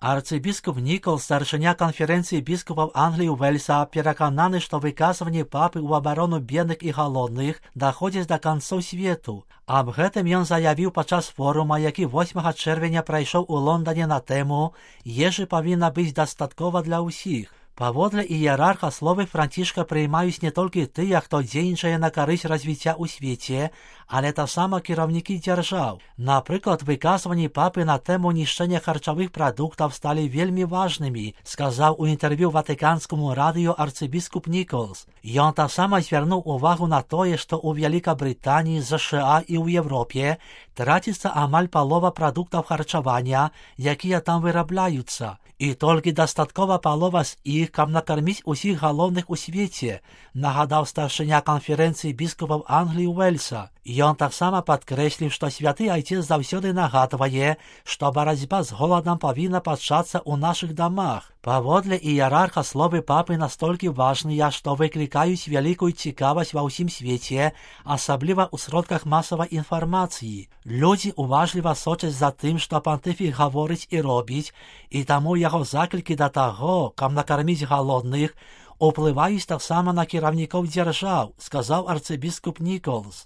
Арцыбіскуп Ніколс, старшыня канферэнцыі біскупаў Англіі і Уэльса, перакананы, што выказванні папы ў абарону бедных і галодных даходзяць да канцоў свету. Аб гэтым ён заявіў падчас форума, які 8 чэрвеня прайшоў у Лондоне на тэму «Ежы павінна быць дастаткова для ўсіх». Паводле іерарха словы Францішка прыймаюць не толькі тыя, хто дзейнічае на карысць развіцця ў свеце, але таксама кіраўнікі дзяржаў. Напрыклад, выказванні папы на тэму нішчэння харчовых прадуктаў сталі вельмі важнымі, сказаў у інтэрв'ю ватыканскаму радыё арцыбіскуп Ніколс. Ён таксама звярнуў увагу на тое, што ў Вялікабрытаніі, ЗША і ў Европе траціцца амаль палова прадуктаў харчавання, якія там вырабляюцца. І толькі дастаткова палова з іх, каб накарміць усіх галодных у свеце, нагадаў старшыня канферэнцыі біскупаў Англіі і Уэльса. Ён таксама падкрэсліў, што святы айцец заўсёды нагадвае, што барацьба з голадам павінна пачацца ў нашых дамах. Паводле іерарха словы папы настолькі важныя, што выклікаюць вялікую цікавасць ва ўсім свеце, асабліва ў сродках масавай інфармацыі. Людзі уважліва сочаць за тым, што пантыфік гаворыць і робіць, і таму яго заклікі да таго, каб накарміць галодных, уплываюць таксама на кіраўнікоў дзяржаў, сказаў арцыбіскуп Ніколс.